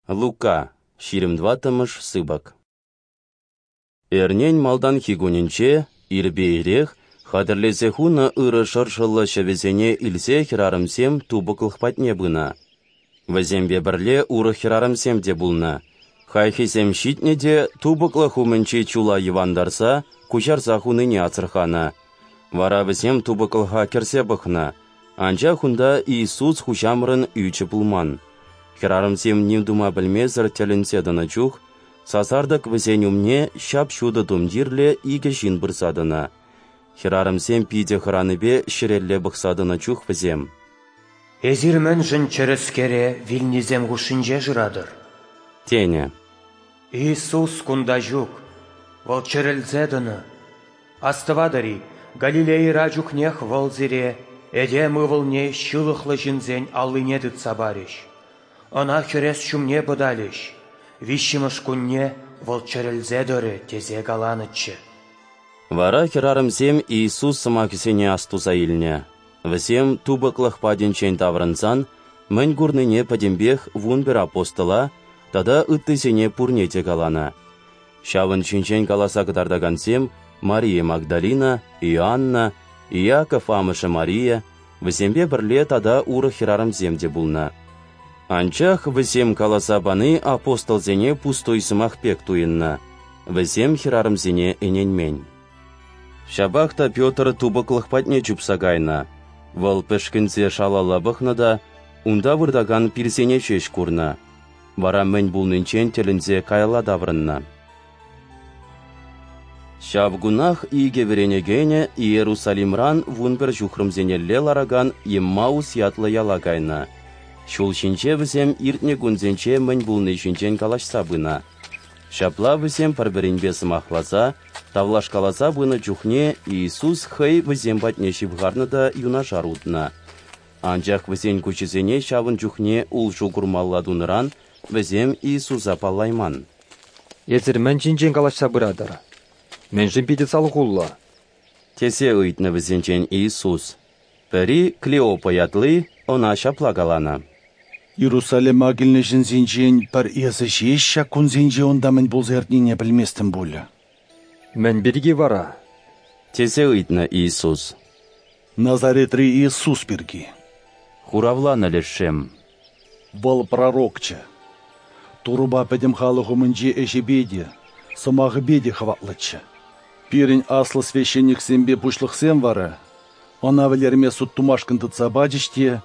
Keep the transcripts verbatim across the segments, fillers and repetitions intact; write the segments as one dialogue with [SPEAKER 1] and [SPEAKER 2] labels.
[SPEAKER 1] Лука, ҫирӗм тӑваттӑмӗш сыпӑк. Эрнен малтанхи кунӗнче, ирпе ирех, хатӗрлесе хунӑ ырӑ шӑршӑллӑ ҫӑвӗсене илсе хӗрарӑмсем тупӑклӑх патне пынӑ. Вӗсемпе пӗрле урӑх хӗрарӑмсем те пулнӑ. Хайхисем ҫитнӗ те тупӑклӑх умӗнчи чула йӑвантарса, куҫарса хунине асӑрханӑ. Вара вӗсем тупӑклӑха кӗрсе пӑхнӑ, анчах унта Иисус Хуҫамӑрӑн ӳчӗ пулман. Хӗрарӑмсем ним тума пӗлмесӗр тӗлӗнсе тӑнӑ чух сасартӑк вӗсен умне ҫап-ҫутӑ тумтирлӗ икӗ ҫын пырса тӑнӑ. Хӗрарӑмсем питӗ хӑранипе ҫӗрелле пӑхса тӑнӑ чух вӗсем:
[SPEAKER 2] «Эсир мӗншӗн чӗрӗскере вилнисем хушшинче шыратӑр?»
[SPEAKER 1] тенӗ.
[SPEAKER 2] Иисус кунта ҫук, Вӑл чӗрӗлсе тӑнӑ. Астӑватӑр-и, Галилейӑра чухнех Вӑл сире Этем Ывӑлне ҫылӑхлӑ ҫынсен аллине тытса парӗҫ, Ӑна хӗрес ҫумне пӑталӗҫ, виҫҫӗмӗш кунне Вӑл чӗрӗлсе тӑрӗ тесе каланӑччӗ.
[SPEAKER 1] Вара хӗрарӑмсем Иисус сӑмахӗсене астуса илнӗ. Вӗсем тупӑклӑх патӗнчен таврӑнсан мӗн курнине пӗтӗмпех вунпӗр апостола тата ыттисене пурне те каланӑ. Ҫавӑн ҫинчен каласа кӑтартакансем Мария Магдалина, Иоанна, Иаков амӑшӗ Мария, вӗсемпе пӗрле тата урӑх хӗрарӑмсем те пулнӑ. Анчах вӗсем каласа пани апостолсене пустуй сӑмах пек туйӑннӑ. Вӗсем хӗрарӑмсене ӗненмен. Ҫапах та Петр тупӑклӑх патне чупса кайнӑ. Вӑл пӗшкӗнсе шалалла пӑхнӑ та унта выртакан пирсене ҫеҫ курнӑ. Вара мӗн пулнинчен тӗлӗнсе каялла таврӑннӑ. Ҫав кунах икӗ вӗренекенӗ Иерусалимран вунпӗр ҫухрӑмсенелле ларакан Еммаус ятлӑ яла кайнӑ. Ҫул ҫинче вӗсем иртнӗ кунсенче мӗн пулни ҫинчен калаҫса пынӑ. Ҫапла вӗсем пӗр-пӗринпе сӑмахласа, тавлашкаласа пынӑ чухне Иисус хӑй вӗсем патне ҫывхарнӑ та юнашар утнӑ. Анчах вӗсен куҫӗсене ҫавӑн чухне улшу курмалла тунӑран вӗсем Иисуса паллайман.
[SPEAKER 3] «Эсир мӗн ҫинчен калаҫса пыратӑр? Мӗншӗн питӗ салхуллӑ?»
[SPEAKER 1] тесе ыйтнӑ вӗсенчен Иисус. Пӗри, Клеопа ятли, ӑна ҫапла каланӑ:
[SPEAKER 4] «Иерусалима килнӗ ҫынсенчен пӗр эсӗ ҫеҫ ҫак кунсенче унта мӗн пулса иртнине пӗлместӗн пулӗ».
[SPEAKER 3] «Мӗн пирки вара?»
[SPEAKER 1] тесе ыйтнӑ Иисус.
[SPEAKER 4] «Назаретри Иисус пирки»,
[SPEAKER 1] хуравланӑ лешсем.
[SPEAKER 4] «Вӑл пророкчӗ. Турӑпа пӗтӗм халӑх умӗнче ӗҫӗпе те, сӑмахӗпе те хӑватлӑччӗ. Пирӗн аслӑ священниксемпе пуҫлӑхсем вара ӑна вӗлерме суд тумашкӑн тытса пачӗҫ те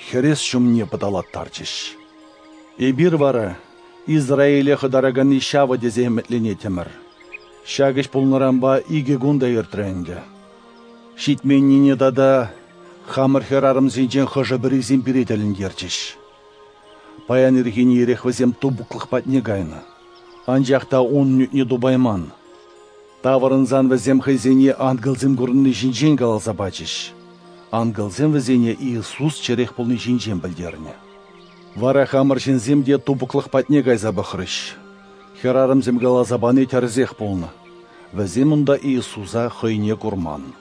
[SPEAKER 4] хӗрес ҫумне пӑталаттарчӗҫ. Эпир вара Израиле хӑтараканни ҫавӑ тесе ӗмӗтленеттӗмӗр. Ҫак ӗҫ пулнӑранпа икӗ кун та иртрӗ ӗнтӗ. Ҫитменнине тата хамӑр хӗрарӑмсенчен хӑшӗ-пӗрисем пире тӗлӗнтерчӗҫ. Паян ирхине ирех вӗсем тупӑклӑх патне кайнӑ, анчах та ун ӳтне тупайман. Таврӑнсан вӗсем хӑйсене ангелсем курӑнни ҫинчен каласа пачӗҫ. Ангелсем вӗсене Иисус чӗрех пулни ҫинчен пӗлтернӗ. Вара хамӑр ҫынсем те тупӑклӑх патне кайса пӑхрӗҫ. Хӗрарӑмсем каласа пани тӗрӗсех пулнӑ. Вӗсем унта Иисуса хӑйне курман».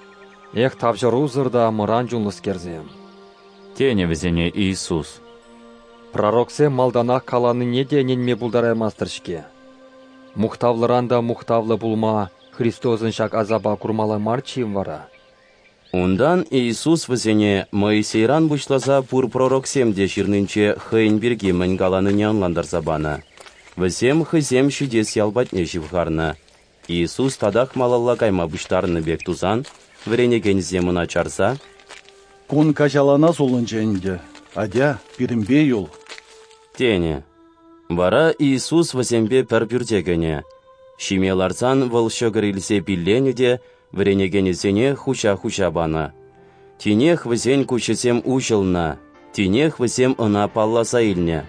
[SPEAKER 3] «Эх, тавҫӑрусӑр та мӑран чунлӑскерсем!»
[SPEAKER 1] тенӗ вӗсене Иисус.
[SPEAKER 3] «Пророксем малтанах каланине те ӗненме пултараймастӑр-ҫке. Мухтавлӑран та мухтавлӑ пулма Христосӑн ҫак асапа курмалла марччӗ-им вара?»
[SPEAKER 1] Унтан Иисус вӗсене Моисейран пуҫласа пур пророксем те ҫырнинче хӑйӗн пирки мӗн каланине ӑнлантарса панӑ. Вӗсем хӑйсем ҫитес ял патне ҫывхарнӑ. Иисус татах малалла кайма пуҫтарӑннӑ пек тусан вӗренекенсем ӑна чарса:
[SPEAKER 4] «Кун каҫалана сулӑнчӗ ӗнтӗ, атя, пирӗнпе юл»,
[SPEAKER 1] тенӗ. Вара Иисус вӗсемпе пӗр пӳрте кӗнӗ. Ҫиме ларсан вӑл ҫӑкӑр илсе пилленӗ те вӗренекенӗсене хуҫа-хуҫа панӑ. Тинех вӗсен куҫӗсем уҫӑлнӑ, тинех вӗсем ӑна палласа илнӗ.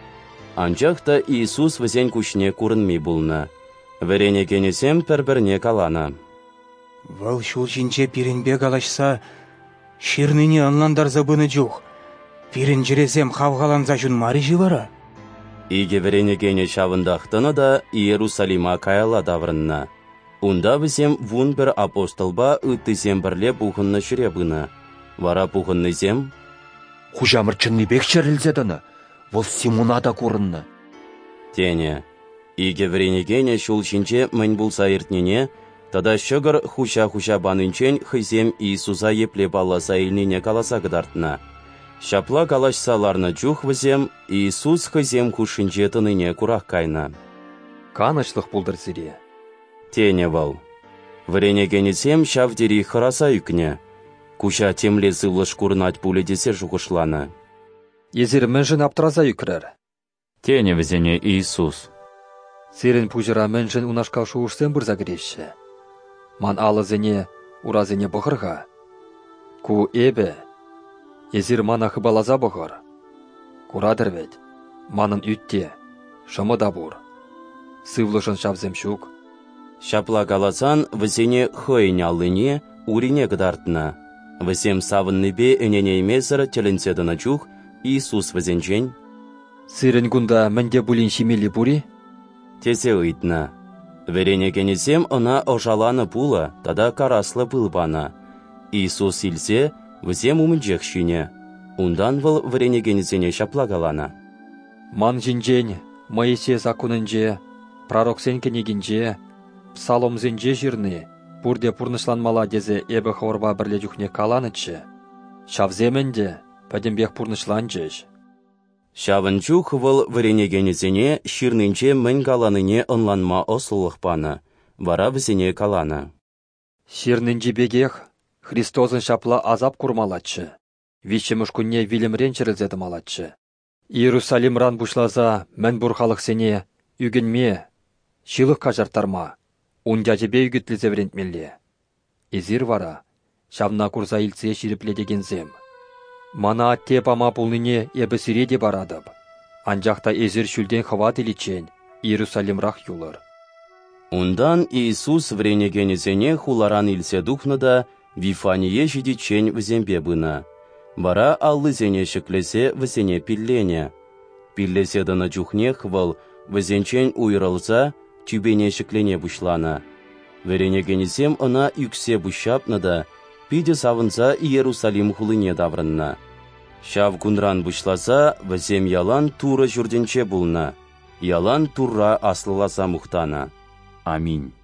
[SPEAKER 1] Анчах та Иисус вӗсен куҫне курӑнми пулнӑ. Вӗренекенӗсем пӗр-пӗрне каланӑ:
[SPEAKER 2] «Вӑл ҫул ҫинче пирӗнпе калаҫса, ҫырнине ӑнлантарса пынӑ чух пирӗн чӗресем хавхаланса ҫунмарӗҫ-и вара?»
[SPEAKER 1] Икӗ вӗренекенӗ ҫавӑнтах тӑнӑ та Иерусалима каялла таврӑннӑ. Унта вӗсем вунпӗр апостолпа ыттисем пӗрле пухӑннӑ ҫӗре пынӑ. Вара пухӑннисем:
[SPEAKER 5] «Хуҫамӑр чӑннипех чӗрӗлсе тӑнӑ, Вӑл Симона та курӑннӑ»,
[SPEAKER 1] тенӗ. Икӗ вӗренекенӗ ҫул ҫинче мӗн пулса иртнине тата ҫӑкӑр хуҫа-хуҫа панинчен хӑйсем Иисуса епле палласа илнине каласа кӑтартнӑ. Ҫапла калаҫса ларнӑ чух вӗсем Иисус хӑйсем хушшинче тӑнине курах кайнӑ.
[SPEAKER 3] Канӑҫлӑх пултӑр сире,
[SPEAKER 1] тенӗ вӑл. Вӗренекенӗсем ҫав тери хӑраса ӳкнӗ. Куҫа темле сывлӑш курӑнать пулӗ тесе шухӑшланӑ.
[SPEAKER 3] Эсир мӗншӗн аптраса ӳкрӗр?
[SPEAKER 5] Тенӗ вӗсене Иисус.
[SPEAKER 3] Сирӗн пуҫӑра мӗншӗн унашкал шухӑшсем пырса кӗреҫҫӗ? Ман алӑсене, урасене пӑхӑр-ха. Ку эпӗ. Эсир мана хыпаласа пӑхӑр. Куратӑр вӗт, манӑн ӳт те, шӑмӑ та пур. Сывлӑшӑн ҫавсем ҫук.
[SPEAKER 1] Ҫапла каласан вӗсене хӑйӗн аллине, урине кӑтартнӑ. Вӗсем савӑннипе ӗненеймесӗр тӗлӗнсе тӑнӑ чух Иисус вӗсенчен:
[SPEAKER 3] Сирӗн кунта мӗн те пулин ҫимелли пур-и?
[SPEAKER 1] тесе ыйтнӑ. Вӗренекенӗсем ӑна ӑшаланӑ пулӑ тата караслӑ пыл панӑ. Иисус илсе вӗсем умӗнчех ҫинӗ. Унтан вӑл вӗренекенӗсене ҫапла каланӑ:
[SPEAKER 3] Ман ҫинчен Моисей саккунӗнче, пророксен кӗнекинче, псаломсенче ҫырни пурте пурнӑҫланмалла тесе эпӗ хӑвӑрпа пӗрле чухне каланӑччӗ. Ҫавсем ӗнтӗ пӗтӗмпех пурнӑҫланчӗҫ.
[SPEAKER 1] Ҫавӑн чух вӑл вӗренекенӗсене ҫырнинче мӗн каланине ӑнланма ӑслӑлӑх панӑ, вара вӗсене каланӑ:
[SPEAKER 3] Ҫырнинчи пекех Христосӑн ҫапла асап курмаллаччӗ, виҫҫӗмӗш кунне вилӗмрен чӗрӗлсе тӑмаллаччӗ. Иерусалимран пуҫласа мӗн пур халӑхсене ӳкӗнме, ҫылӑх каҫарттарма, ун ячӗпе ӳкӗтлесе вӗрентмелле. Эсир вара ҫавна курса илтсе ҫирӗплетекенсем. Мана атте пама пулнине эпӗ сире те паратӑп, анчах та эсир ҫӳлтен хӑват иличчен Иерусалимрах юлӑр.
[SPEAKER 1] Унтан Иисус вӗренекенӗсене хуларан илсе тухнӑ та Вифание ҫитиччен вӗсемпе пынӑ. Вара аллисене ҫӗклесе вӗсене пилленӗ. Пиллесе тӑнӑ чухнех вӑл вӗсенчен уйрӑлса тӳпене ҫӗклене пуҫланӑ. Вӗренекенӗсем ӑна ӳксе пуҫҫапнӑ та питӗ савӑнса Иерусалим хулине таврӑннӑ. Ҫав кунран пуҫласа вӗсем ялан Турӑ ҫуртӗнче пулнӑ, ялан Турра аслӑласа мухтанӑ.
[SPEAKER 5] Аминь.